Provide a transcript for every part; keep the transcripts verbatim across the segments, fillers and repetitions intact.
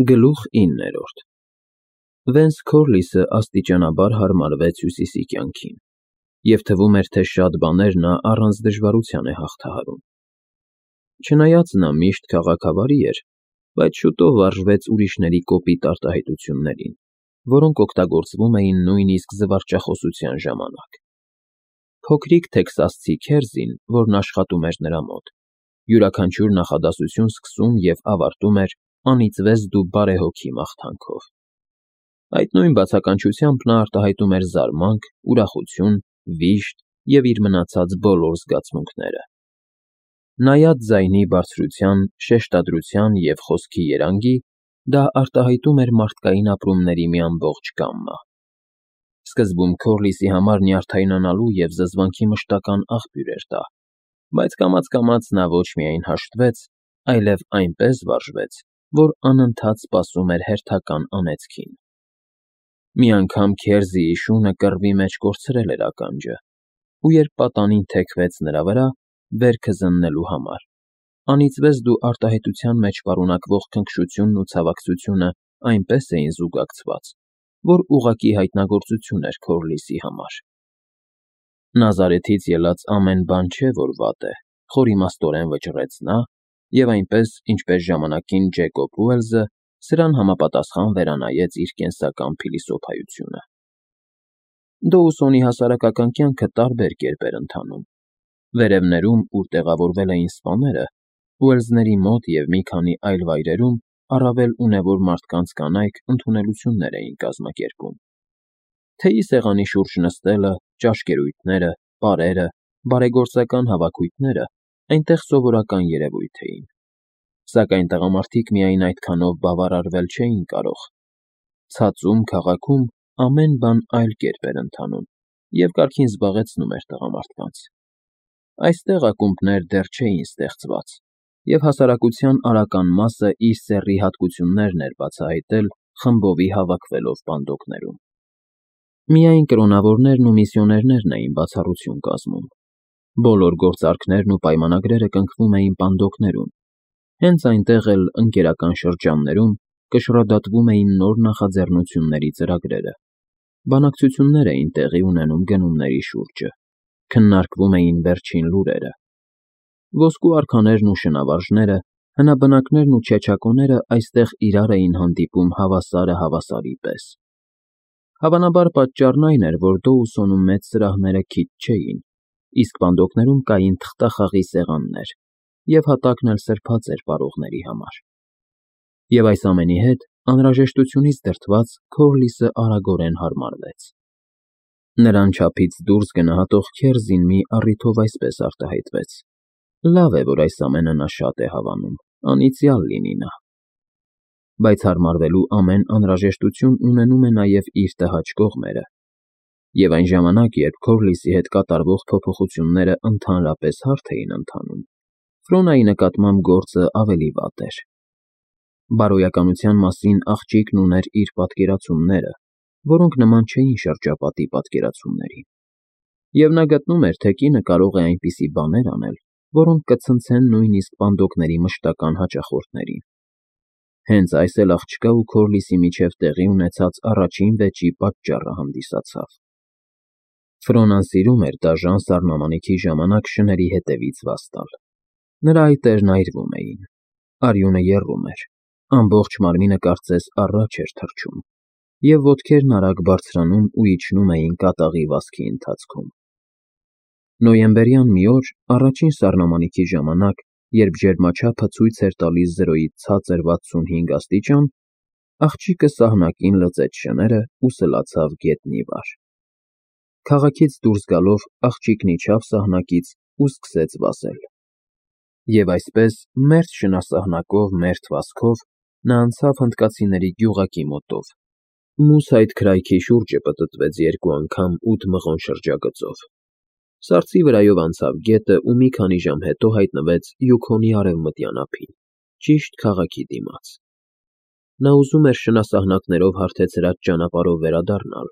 Գլուխ իններորդ Վենց Քորլիսը աստիճանաբար հարմարվեց Հյուսիսի կյանքին, և թվում էր, թե շատ բաներ նա առանց դժվարության է հաղթահարում. չնայած նա միշտ քաղաքավարի էր, բայց շուտով վարժվեց ուրիշների կոպիտ արտահայտություններին, որոնք օգտագործվում էին նույնիսկ զվարճախոսության ժամանակ. փոքրիկ տեքսասցի քերզին, որն աշխատում էր նրա մոտ, յուրաքանչյուր նախադասություն սկսում և ավարտում էր «անիծվես դու բարեհոգի» մաղթանքով. այդ նույն բացականչությամբ նա արտահայտում էր զարմանք, ուրախություն, վիշտ և իր մնացած բոլոր զգացմունքները: Նայած ձայնի բարձրության, շեշտադրության և խոսքի երանգի, դա արտահայտում էր մարդկային ապրումների մի ամբողջ գամմա: Սկզբում Քորլիսի համար նյարդայնանալու և զզվանքի մշտական աղբյուր էր դա, բայց կամաց֊կամաց նա ոչ միայն հաշտվեց, այլև այնպես վարժվեց, որ անընդհատ սպասում էր հերթական անեծքին: Մի անգամ Քերզիի շունը կռվի մեջ կորցրել էր ականջը, ու երբ պատանին թեքվեց նրա վրա, վերքը զննելու համար, «անիծվես դու» արտահայտության մեջ պարունակվող քնքշությունն ու ցավակցությունը այնպես էին զուգակցված, որ ուղղակի հայտնագործություն էր Քորլիսի համար: «Նազարեթից ելած ամեն բան չէ, որ վատ է», - խորիմաստորեն վճռեց նա և այնպես, ինչպես ժամանակին Ջեյկոբ Ուելսը, սրան համապատասխան վերանայեց իր կենսական փիլիսոփայությունը: Դոուսոնի հասարակական կյանքը տարբեր կերպ էր ընթանում: Վերևներում, ուր տեղավորվել էին սպաները, Ուելսների մոտ և մի քանի այլ վայրերում առավել ունևոր մարդկանց կանայք ընդունելություններ էին կազմակերպում: Թեյի սեղանի շուրջ նստելը, ճաշկերույթները, պարերը, բարեգործական հավաքույթները այնտեղ սովորական երևույթ էին: Սակայն տղամարդիկ միայն այդքանով բավարարվել չէին կարող: Ցածում քաղաքում ամեն բան այլ կերպ էր ընթանում և կարգին զբաղեցնում էր տղամարդկանց: Այստեղ ակումբներ դեռ չէին ստեղծված, և հասարակության արական մասը իր սեռի հատկություններն էր բացահայտել խմբովի հավաքվելով պանդոկներում: Միայն կրոնավորներն ու միսիոներներն էին բացառություն կազմում: Բոլոր գործարքներն ու պայմանագրերը կնքվում էին պանդոկներում: Հենց այնտեղ էլ, ընկերական շրջաններում, կշռադատվում էին նոր նախաձեռնությունների ծրագրերը, բանակցություններ էին տեղի ունենում գնումների շուրջը, քննարկվում էին վերջին լուրերը: Ոսկու արքաներն ու շնավարժները, հնաբնակներն ու չեչակոները այստեղ իրար էին հանդիպում հավասարը հավասարի պես: Հավանաբար պատճառն այն էր, որ Դոուսոնում մեծ սրահները քիչ չէին, իսկ պանդոկներում կային թղթախաղի սեղաններ, և հատակն էլ սրբած էր պարողների համար: Եվ այս ամենի հետ, անհրաժեշտությունից դրդված, Քորլիսը արագորեն հարմարվեց: Նրան չափից դուրս գնահատող Քերզին մի առիթով այսպես արտահայտվեց. լավ է, որ այս ամենը նա շատ է հավանում, անիծյալ լինի նա: Բայց հարմարվելու ամեն անհրաժեշտություն ունենում է նաև իր տհաճ կողմերը: Եվ այն ժամանակ, երբ Քորլիսի հետ կատարվող փոփոխությունները ընդհանրապես հարթ էին ընթանում, Ֆրոնայի նկատմամբ գործը ավելի վատ էր: Բարոյականության մասին աղջիկն ուներ իր պատկերացումները, որոնք նման չէին շրջապատի պատկերացումներին: Եվ նա գտնում էր, թե կինը կարող է այնպիսի բաներ անել, որոնք կցնցեն նույնիսկ պանդոկների մշտական հաճախորդներին: Հենց այս էլ աղջկա ու Քորլիսի միջև տեղի ունեցած առաջին վեճի պատճառը հանդիսացավ: Ֆրոնան սիրում էր դաժան սառնամանիքի ժամանակ շների հետևից վազ տալ: Նրա այտերն այրվում էին, արյունը եռում էր, ամբողջ մարմինը կարծես առաջ էր թռչում, և ոտքերն արագ բարձրանում ու իջնում էին կատաղի վազքի ընթացքում: Նոյեմբերյան մի օր, առաջին սառնամանիքի ժամանակ, երբ ջերմաչափը ցույց էր տալիս զրոյից ցածր վաթսունհինգ աստիճան, աղջիկը սահնակին լծեց շները ու սլացավ գետնի վար: Քաղաքից դուրս գալով, աղջիկն իջավ սահնակից ու սկսեց վազել: Եվ այսպես, մերթ շնասահնակով մերթ վազքով, նա անցավ հնդկացիների գյուղակի մոտով, Մուսայդ քրայքի շուրջը պտտվեց երկու անգամ ութ մղոն շրջագծով, սառցի վրայով անցավ գետը ու մի քանի ժամ հետո հայտնվեց Յուքոնի արևմտյան ափին, ճիշտ քաղաքի դիմաց: Նա ուզում էր շնասահնակներով հարթեցրած ճանապարհով վերադառնալ,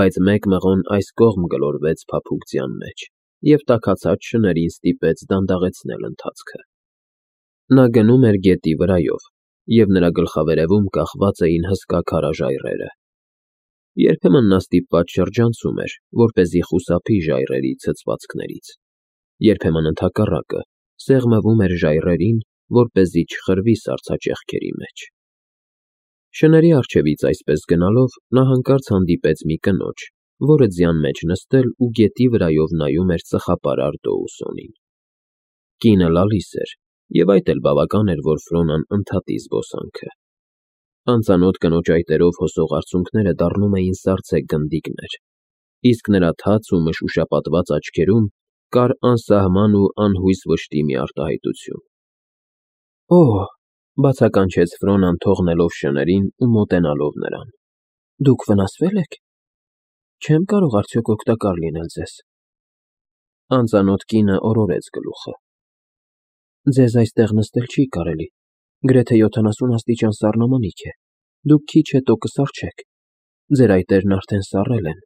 բայց մեկ մղոն այս կողմ գլորվեց փափուկ ձյան մեջ և տաքացած շներին ստիպեց դանդաղեցնել ընթացքը: Նա գնում էր գետի վրայով, և նրա գլխավերևում կախված էին հսկա քարաժայռերը։ Երբեմն նա ստիպված շրջանցում էր, որպեսզի խուսափի ժայռերի ցցվածքներից, երբեմն ընդհակառակը, սեղմվում էր ժայռերին, որպեսզի չխրվի սառցաճեղքերի մեջ։ Շների առջևից այսպես գնալով նա հանկարծ հանդիպեց մի կնոջ, որը ձյան մեջ նստել ու գետի վրայով նայում էր ծխապարար Դոուսոնին։ Կինը լալիս էր, և այդ էլ բավական էր, որ Ֆրոնան ընդհատի զբոսանքը։ Անծանոթ կնոջ այտերով հոսող արցունքները դառնում էին սառցե գնդիկներ, իսկ նրա թաց ու մշուշապատված աչքերում կար անսահման ու անհույս վշտի մի արտահայտություն։ ֊ Օ՜հ,֊ բացականչեց Ֆրոնան թողնելով շներին ու մոտենալով նրան,֊ դուք վնասվե՞լ եք։ Չեմ կարող արդյոք օգտակար լինել ձեզ։ Անծանոթ կինը օրորեց գլուխը։ Ձեզ այստեղ նստել չի կարելի, գրեթե յոթանասուն աստիճան սառնամանիք է, դուք քիչ հետո կսառչեք, ձեր այտերն արդեն սառել են։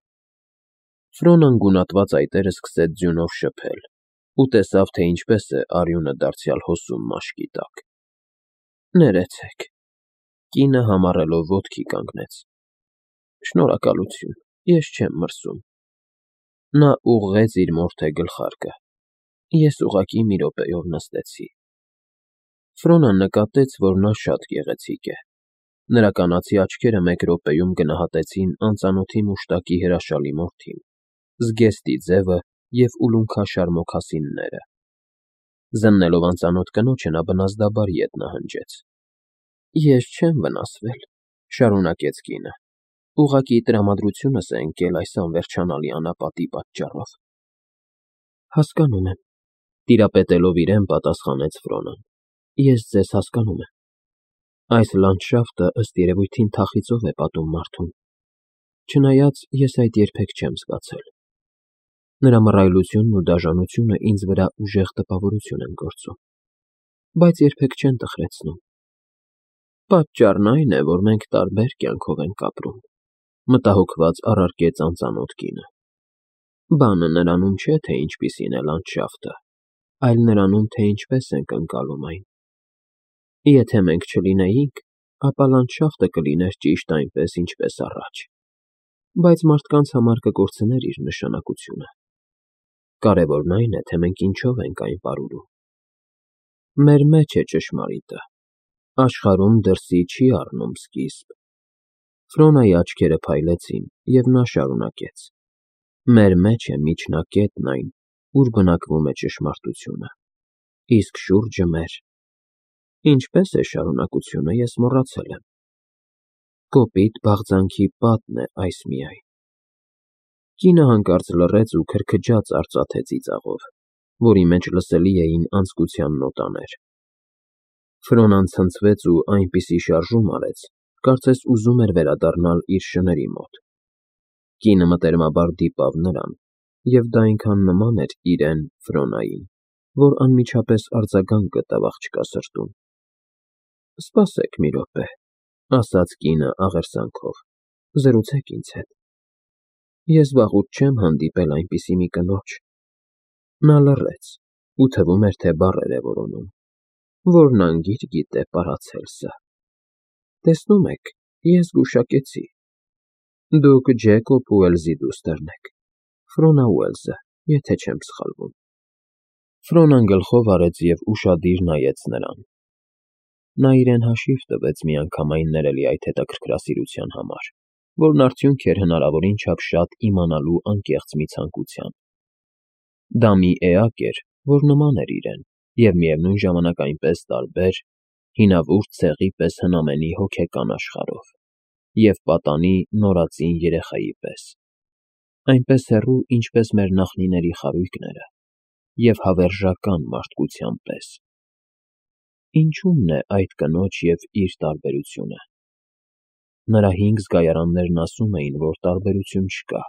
Ֆրոնան գունատված այտերը սկսեց ձյունով շփել ու տեսավ, թե ինչպես է արյունը դարձյալ հոսում մաշկի տակ։ Ներեցեք։ Կինը համառելով ոտքի կանգնեց։ Շնորհակալություն, ես չեմ մրսում։ Նա ուղղեց իր մորթե գլխարկը։ Ես ուղղակի մի րոպեով նստեցի։ Ֆրոնան նկատեց, որ նա շատ գեղեցիկ է։ Նրա կանացի աչքերը մեկ րոպեում գնահատեցին անծանոթի մուշտակի հրաշալի մորթին, զգեստի ձևը և ուլունքաշար մոքասինները։ Զննելով անծանոթ կնոջը նա բնազդաբար ետ նահանջեց։ Ես չեմ վնասվել,֊ շարունակեց կինը, ուղղակի տրամադրությունս է ընկել այս անվերջանալի անապատի պատճառով։ Հասկանում եմ,֊ տիրապետելով իրեն պատասխանեց Ֆրոնան,֊ ես ձեզ հասկանում եմ։ Այս լանդշաֆտը ըստ երևույթին թախիծով է պատում մարդուն, չնայած ես այդ երբեք չեմ զգացել։ Նրա մռայլությունն ու դաժանությունը ինձ վրա ուժեղ տպավորություն են գործում, բայց երբեք չեն տխրեցնում։ Պատճառն այն է, որ մենք տարբեր կյանքով ենք ապրում,֊ մտահոգված առարկեց անծանոթ կինը։ Բանը նրանում չէ, թե ինչպիսին է լանդշաֆտը, այլ նրանում, թե ինչպես ենք ընկալում այն։ Եթե մենք չլինեինք, ապա լանդշաֆտը կլիներ ճիշտ այնպես, ինչպես առաջ, բայց մարդկանց համար կկորցներ իր նշանակությունը։ Կարևորն այն է, թե մենք ինչով ենք այն պարուրում։ Մեր մեջ է ճշմարիտը, աշխարհում դրսի չի առնում սկիզբ։ Ֆրոնայի աչքերը փայլեցին, և նա շարունակեց. Մեր մեջ է միջնակետն այն, ուր բնակվում է ճշմարտությունը, իսկ շուրջը մեր… Ինչպես է շարունակությունը, ես մոռացել եմ։ Կոպիտ բաղձանքի պատն է այս միայն։ Կինը հանկարծ լռեց ու քրքջաց արծաթե ծիծաղով, որի մեջ լսելի էին անձկության նոտաներ։ Ֆրոնան ցնցվեց ու այնպիսի շարժում արեց, կարծես ուզում էր վերադառնալ իր շների մոտ։ Կինը մտերմաբար դիպավ նրան, և դա այնքան նման էր իրեն՝ Ֆրոնային, որ անմիջապես արձագանք գտավ աղջկա սրտում։ Սպասեք մի րոպե,֊ ասաց կինը աղերսանքով,֊ զրուցեք ինձ հետ։ Ես վաղուց չեմ հանդիպել այնպիսի մի կնոջ։ Նա լռեց, ու թվում էր, թե բառեր է որոնում, որն անգիր գիտե Պարացելսը։ Տեսնում եք, ես գուշակեցի։ Դուք Ջեկոբ Ուելսի դուստրն եք, Ֆրոնա Ուելսը, եթե չեմ սխալվում։ Ֆրոնան գլխով արեց և ուշադիր նայեց նրան։ Նա իրեն հաշիվ տվեց միանգամայն ներելի այդ հետաքրքրասիրության համար, որն արդյունք էր հնարավորին չափ շատ իմանալու անկեղծ մի ցանկության։ Դա մի էակ էր, որ նման էր իրեն և միևնույն ժամանակ այնպես տարբեր, հինավուրց ցեղի պես հնամենի հոգեկան աշխարհով և պատանի նորածին երեխայի պես, այնպես հեռու, ինչպես մեր նախնիների խարույկները, և հավերժական մարդկության պես։ Ինչու՞մն է այդ կնոջ և իր տարբերությունը։ Նրա հինգ զգայարաններն ասում էին, որ տարբերություն չկա։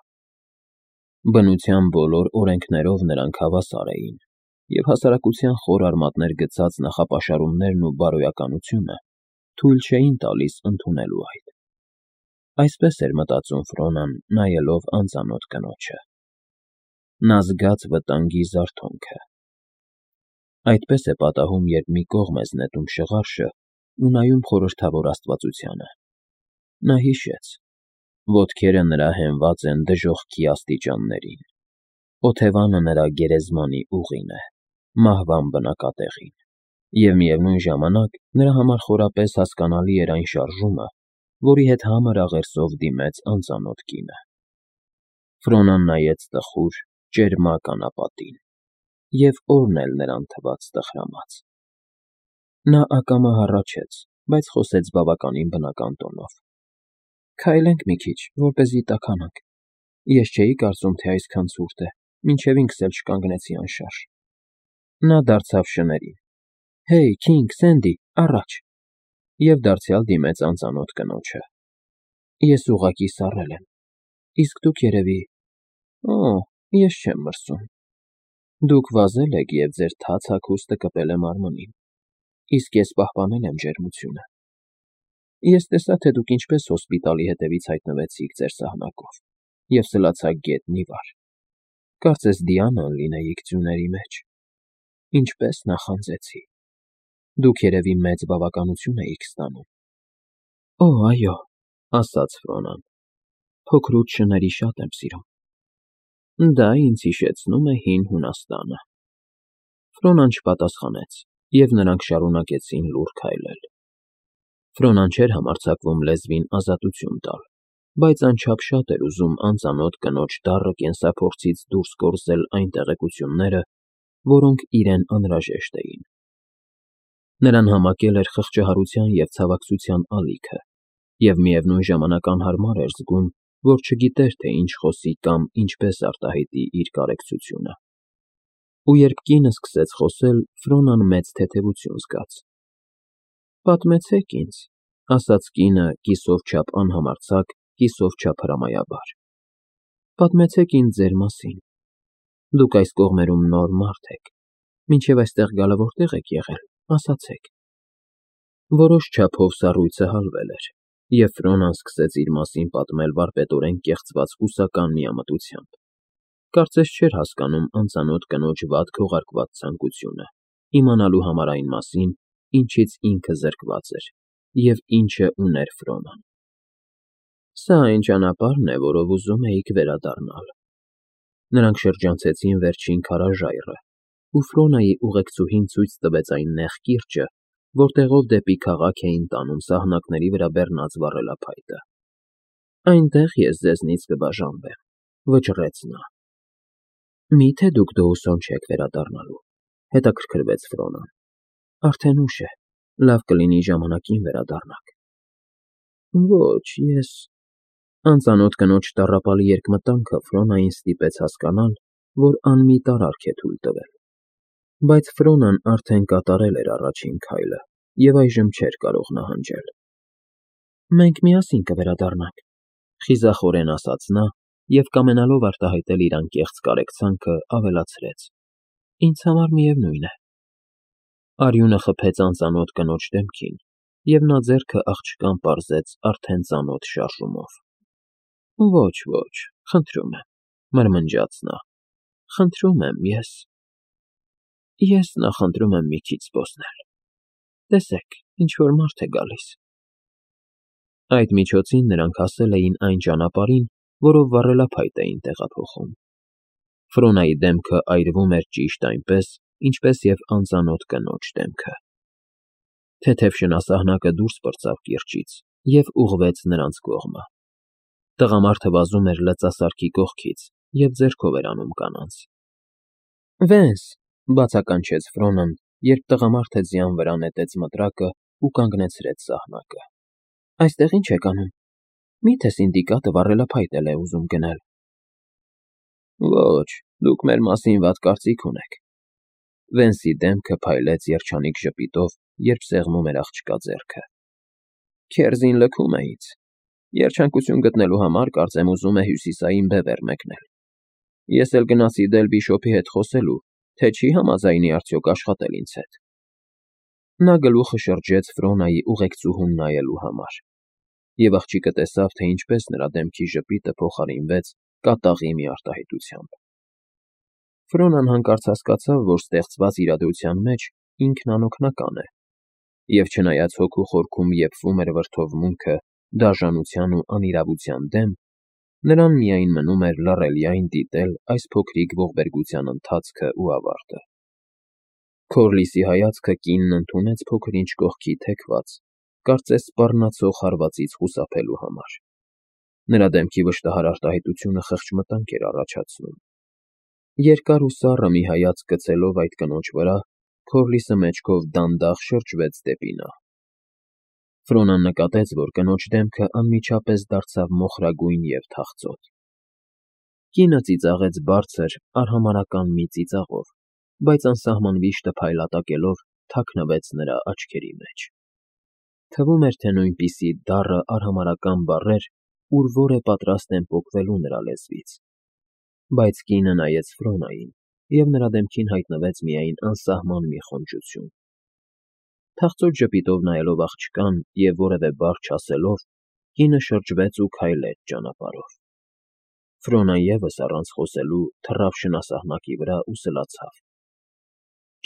Բնության բոլոր օրենքներով նրանք հավասար էին, և հասարակության խոր արմատներ գցած նախապաշարումներն ու բարոյականությունը թույլ չէին տալիս ընդունելու այդ։ Այսպես էր մտածում Ֆրոնան, նայելով անծանոթ կնոջը։ Նա զգաց վտանգի զարթոնքը։ Այդպես է պատահում, երբ մի կողմ ես նետում շղարշը ու նայում խորհրդավոր աստվածությանը։ Նա հիշեց. ոտքերը նրա հենված են դժոխքի աստիճաններին, օթևանը նրա գերեզմանի ուղին է, մահվան բնակատեղին, և միևնույն ժամանակ նրա համար խորապես հասկանալի էր այն շարժումը, որի հետ համր աղերսով դիմեց անծանոթ կինը։ Ֆրոնան նայեց տխուր, ճերմակ անապատին, և օրն էլ նրան թվաց տխրամած։ Նա ակամա հառաչեց, բայց խոսեց բավականին բնական տոնով. «Քայլենք մի քիչ, որպեսզի տաքանանք։ Ես չէի կարծում, թե այսքան ցուրտ է, մինչև ինքս էլ չկանգնեցի անշարժ»։ Նա դարձավ շներին. «Հեյ, Քինգ, Սենդի, առաջ», և դարձյալ դիմեց անծանոթ կնոջը։ «Ես ուղղակի սառել եմ, իսկ դուք երևի…» «Օ, ես չեմ մրսում։ Դուք վազել եք և ձեր թաց հագուստը կպել է մարմնին, իսկ ես պահպանել եմ ջերմությունը։ Ես տեսա, թե դուք ինչպես հոսպիտալի հետևից հայտնվեցիք ձեր սահնակով և սլացաք գետնի վար, կարծես Դիանան լինեիք ձյուների մեջ։ Ինչպես նախանձեցի։ Դուք երևի մեծ բավականություն էիք ստանում»։ «Օ, այո», ասաց Ֆրոնան, «փոքրուց շների շատ եմ սիրում»։ «Դա ինձ հիշեցնում է հին Հունաստանը»։ Ֆրոնան չպատասխանեց, և նրանք շարունակեցին լուռ քայլել։ Ֆրոնան չէր համարձակվում լեզվին ազատություն տալ, բայց անչափ շատ էր ուզում անծանոթ կնոջ դառը կենսափորձից դուրս կորզել այն տեղեկությունները, որոնք իրեն անհրաժեշտ էին։ Նրան համակել էր խղճահարության և ցավակցության ալիքը, և միևնույն ժամանակ անհարմար էր զգում, որ չգիտեր, թե ինչ խոսի կամ ինչպես արտահայտի իր կարեկցությունը։ Ու երբ կինը սկսեց խոսել, Ֆրոնան մեծ թեթևություն զգաց։ «Պատմեցեք ինձ», ասաց կինը կիսով չափ անհամարձակ, կիսով չափ հրամայաբար։ «Պատմեցեք ինձ ձեր մասին։ Դուք այս կողմերում նոր մարդ եք, մինչև այստեղ գալը որտե՞ղ եք եղել, ասացեք»։ Որոշ չափով սառույցը հալվել էր, և Ֆրոնան սկսեց իր մասին պատմել վարպետորեն կեղծված կուսական միամտությամբ։ Կարծես չէր հասկանում անծանոթ կնոջ վատ քողարկված ցանկությունը, իմանալու համար այն մասին, ինչից ինքը զրկված էր, և ինչը ուներ Ֆրոնան։ «Սա այն ճանապարհն է, որով ուզում էիք վերադառնալ»։ Նրանք շրջանցեցին վերջին քարաժայռը, ու Ֆրոնայի ուղեկցուհին ցույց տվեց այն նեղ կիրճը, որտեղով դեպի քաղաք էին տանում սահնակների վրա բեռնած վառելափայտը։ «Այնտեղ ես ձեզնից կբաժանվեմ», վճռեց նա։ «Մի՞թե դուք Դոուսոն չեք վերադառնալու», հետաքրքրվեց Ֆրոնան։ «Արդեն ուշ է, լավ կլինի ժամանակին վերադառնաք»։ «Ոչ, ես…» Անծանոթ կնոջ տառապալի երկմտանքը Ֆրոնային ստիպեց հասկանալ, որ անմիտ արարք է թույլ տվել։ Բայց Ֆրոնան արդեն կատարել էր առաջին քայլը և այժմ չէր կարող նահանջել։ «Մենք միասին կվերադառնանք», խիզախորեն ասաց նա և, կամենալով արտահայտել իր անկեղծ կարեկցանքը, ավելացրեց. «Ինձ համար միևնույն է»։ Արյունը խփեց անծանոթ կնոջ դեմքին, և նա ձեռքը աղջկան պարզեց արդեն ծանոթ շարժումով։ «Ոչ, ոչ, խնդրում եմ», մրմնջաց նա, «խնդրում եմ, ես… Ես նախընտրում եմ մի քիչ զբոսնել։ Տեսեք, ինչ֊որ մարդ է գալիս»։ Այդ միջոցին նրանք հասել էին այն ճանապարհին, որով վառելափայտ էին տեղափոխում։ Ֆրոնայի դեմքը այրվում էր ճիշտ այնպես, ինչպես և անծանոթ կնոջ դեմքը։ Թեթև շնասահնակը դուրս պրծավ կիրճից և ուղղվեց նրանց կողմը։ Տղամարդը վազում էր լծասարքի կողքից և ձեռքով էր անում կանանց։ «Վենս», բացականչեց Ֆրոնան, երբ տղամարդը ձյան վրա նետեց մտրակը ու կանգնեցրեց սահնակը։ «Այստեղ ի՞նչ եք անում։ Մի՞թե սինդիկատը վառելափայտ էլ է ուզում գնել»։ «Ոչ, դուք մեր մասին վատ կարծիք ունեք»։ Վենսի դեմքը փայլեց երջանիկ ժպիտով, երբ սեղմում էր աղջկա ձեռքը։ «Քերզին լքում է ինձ։ Երջանկություն գտնելու համար կարծեմ ուզում է հյուսիսային բևեռ մեկնել։ Ես էլ գնացի Դել Բիշոպի հետ խոսելու, թե չի համաձայնի արդյոք աշխատել ինձ հետ»։ Նա գլուխը շրջեց Ֆրոնայի ուղեկցուհուն նայելու համար, և աղջիկը տեսավ, թե ինչպես նրա դեմքի ժպիտը փոխարինվեց կատաղի մի արտահայտությամբ։ Ֆրոնան հանկարծ հասկացավ, որ ստեղծված իրադրության մեջ ինքն անօգնական է, Եվ չնայած հոգու խորքում եփվում էր վրդովմունքը դաժանության ու անիրավության դեմ, նրան միայն մնում էր լռելիայն դիտել այս փոքրիկ ողբերգության ընթացքը ու ավարտը։ Քորլիսի հայացքը կինն ընդունեց փոքր-ինչ կողքի թեքված, կարծես սպառնացող հարվածից խուսափելու համար։ Նրա դեմքի վշտահար արտահայտությունը խեղճ մտանք էր առաջացնում։ Երկար ու սառը մի հայացք գցելով այդ կնոջ վրա, Քորլիսը մեջքով դանդաղ շրջվեց դեպի նա։ Ֆրոնան նկատեց, որ կնոջ դեմքը անմիջապես դարձավ մոխրագույն և թախծոտ։ Կինը ծիծաղեց բարձր, արհամարհական մի ծիծաղով, բայց անսահման վիշտը փայլատակելով թաքնվեց նրա աչքերի մեջ։ Թվում էր, թե նույնպիսի դառը արհամարհական բառեր ուր որ է պատրաստ են պոկվելու նրա լեզվից։ Բայց կինը նայեց Ֆրոնային, և նրա դեմքին հայտնվեց միայն անսահման մի խոնջություն։ Թախծոտ ժպիտով նայելով աղջկան և որևէ բառ չասելով, կինը շրջվեց ու քայլեց ճանապարհով։ Ֆրոնան ևս առանց խոսելու թռավ շնասահնակի վրա ու սլացավ։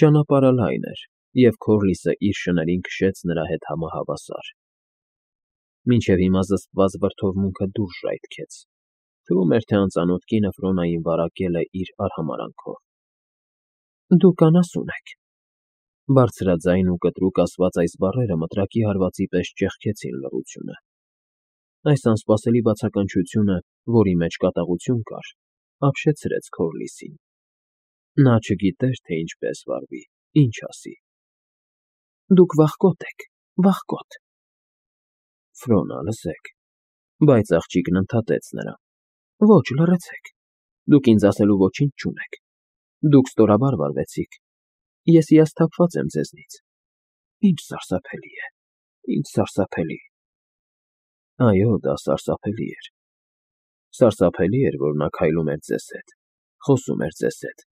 Ճանապարհը լայն էր, և Քորլիսը իր շներին քշեց նրա հետ համահավասար։ Մինչև հիմա զսպված վրդովմունքը դուրս ժայթքեց։ Թվում էր, թե անծանոթ կինը Ֆրոնային վարակել է իր արհամարհանքով։ Դուք անասուն եք։ Բարձրաձայն ու կտրուկ ասված այս բառերը մտրակի հարվածի պես ճեղքեցին լռությունը։ Այս անսպասելի բացականչությունը, որի մեջ կատաղություն կար, ապշեցրեց Քորլիսին։ Նա չգիտեր, թե ինչպես վարվի, ինչ ասի։ Դուք վախկոտ եք, վախկոտ։ Ֆրոնա, լսեք։ Բայց աղջիկն ընդհատեց նրան։ Ոչ, լռեցեք։ Դուք ինձ ասելու ոչինչ չունեք։ Դուք ստորաբար վարվեցիք։ Ես հիասթափված եմ ձեզնից։ Ինչ սարսափելի է, ինչ սարսափելի։ Այո, դա սարսափելի էր։ Սարսափելի էր, որ նա քայլում էր ձեզ հետ, խոսում էր ձեզ հետ,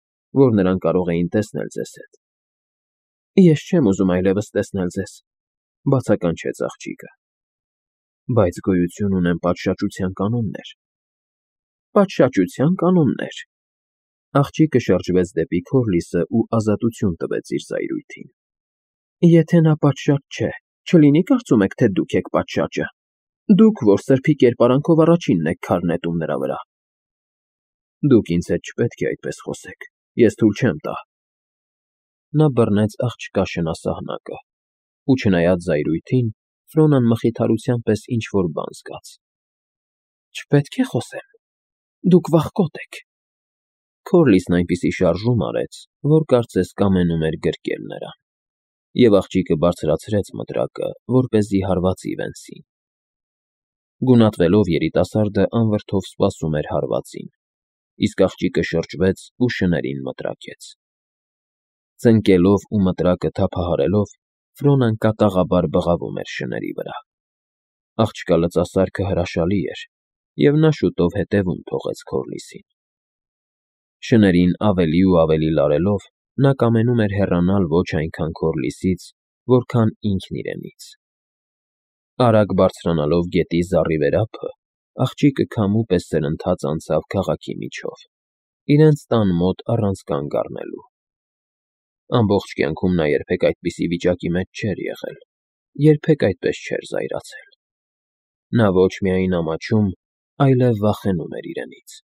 որ նրան կարող էին տեսնել ձեզ հետ։ Ես չեմ ուզում այլևս տեսնել ձեզ, բացականչեց աղջիկը։ Բայց գոյություն ունեն պատշաճության կանոններ։ Պատշաճության կանոններ։ Աղջիկը շրջվեց դեպի Քորլիսը ու ազատություն տվեց իր զայրույթին։ Եթե նա պատշաճ չէ, չլինի կարծում եք, թե դուք եք պատշաճը։ Դուք, որ սրբի կերպարանքով առաջինն եք քար նետում նրա վրա։ Դուք ինձ հետ չպետք է այդպես խոսեք, ես թույլ չեմ տա։ Նա բռնեց աղջկա շնասահնակը, ու չնայած զայրույթին, Ֆրոնան մխիթարության պես ինչ-որ բան զգաց։ Չպետք է խոսեմ։ Դուք վախկոտ եք։ Քորլիսն այնպիսի շարժում արեց, որ կարծես կամենում էր գրկել նրան, և աղջիկը բարձրացրեց մտրակը, որպեսզի հարվածի Վենսին։ Գունատվելով երիտասարդը անվրդով սպասում էր հարվածին, իսկ աղջիկը շրջվեց ու շներին մտրակեց։ Ծնկելով ու մտրակը թափահարելով, Ֆրոնան կատաղաբար բղավում էր շների վրա։ Աղջկա լծասարքը հրաշալի էր, և նա շուտով հետևում թողեց Քորլիսին։ Շներին ավելի ու ավելի լարելով, նա կամենում էր հեռանալ ոչ այնքան Քորլիսից, որքան ինքն իրենից։ Արագ բարձրանալով գետի զառիվերափը, աղջիկը քամու պես սրընթաց անցավ քաղաքի միջով, իրենց տան մոտ առանց կանգ առնելու։ Ամբողջ կյանքում նա երբեք այդպիսի վիճակի մեջ չէր եղել, երբեք այդպես չէր զայրացել։ Նա ոչ միայն ամաչում, այլև վախենում էր իրենից։